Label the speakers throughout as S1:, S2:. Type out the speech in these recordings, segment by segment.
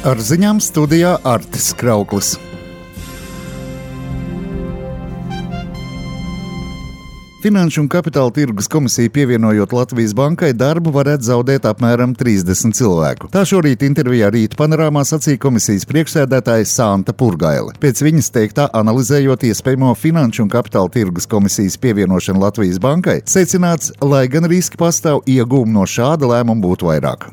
S1: Ar ziņām studijā Artis Krauklis. Finanšu un kapitāla tirgus komisija pievienojot Latvijas bankai darbu varētu zaudēt apmēram 30 cilvēku. Tā šorīt intervijā Rīta panorāmā sacīja komisijas priekšsēdētāja Santa Purgaile. Pēc viņas teiktā, analizējot iespējamo finanšu un kapitāla tirgus komisijas pievienošanu Latvijas bankai, secināts, lai gan riski pastāv, iegūmi no šāda lēmuma būtu vairāk.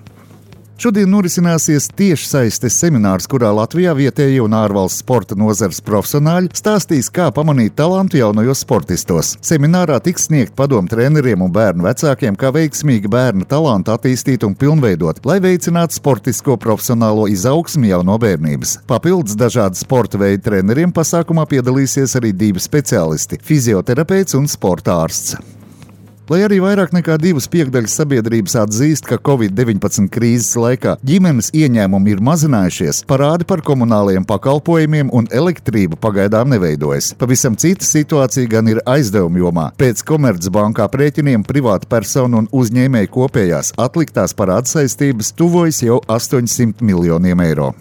S1: Šodien norisināsies tiešsaistes seminārs, kurā Latvijā vietējie un ārvalstu sporta nozares profesionāļi stāstīs, kā pamanīt talantu jaunajos sportistos. Seminārā tiks sniegt padomu treneriem un bērnu vecākiem, kā veiksmīgi bērnu talantu attīstīt un pilnveidot, lai veicinātu sportisko profesionālo izaugsmi jau no bērnības. Papildus dažādu sporta veidu treneriem pasākumā piedalīsies arī 2 speciālisti – fizioterapeits un sporta ārsts. Lai arī vairāk nekā 2/5 sabiedrības atzīst, ka Covid-19 krīzes laikā ģimenes ieņēmumi ir mazinājušies, parādi par komunālajiem pakalpojumiem un elektrību pagaidām neveidojas. Pavisam cita situācija gan ir aizdevumu jomā. Pēc Komercbanku aprēķiniem privāta personu un uzņēmēju kopējās atliktās parāda saistības tuvojas jau 800 miljoniem eiro.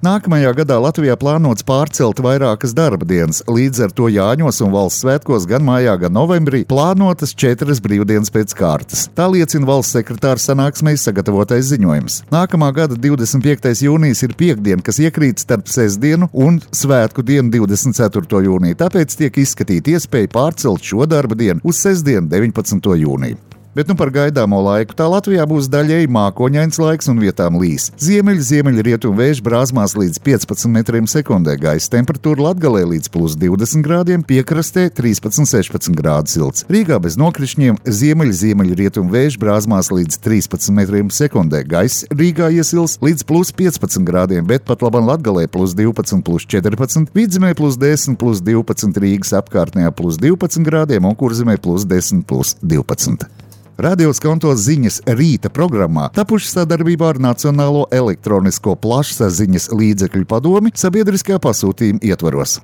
S1: Nākamajā gadā Latvijā plānots pārcelt vairākas darba dienas, līdz ar to Jāņos un valsts svētkos gan mājā, gan novembrī plānotas 4 brīvdienas pēc kārtas. Tā liecina valsts sekretāra sanāksmē sagatavotais ziņojums. Nākamā gada 25. jūnijas ir piektdiena, kas iekrīt starp sestdienu un svētku dienu 24. jūniju, tāpēc tiek izskatīta iespēja pārcelt šo darba dienu uz sestdienu 19. jūniju. Bet par gaidāmo laiku tā Latvijā būs daļēji mākoņains laiks un vietām līs. Ziemeļrietumu vējš brāzmās līdz 15 metriem sekundē, gaisa temperatūra Latgalē līdz +20 grādiem, piekrastē 13-16 grādu silts. Rīgā bez nokrišņiem ziemeļrietumu vējš brāzmās līdz 13 metriem sekundē, gaisa Rīgā iesils līdz +15 grādiem, bet pat labam Latgalē +12-+14, Vidzemē +10-+12, Rīgas apkārtnējā +12 grādiem un Kurzemē +10-+12. Radio Skonto ziņas rīta programmā tapuši sadarbībā ar Nacionālo elektronisko plašsaziņas līdzekļu padomi sabiedriskā pasūtījuma ietvaros.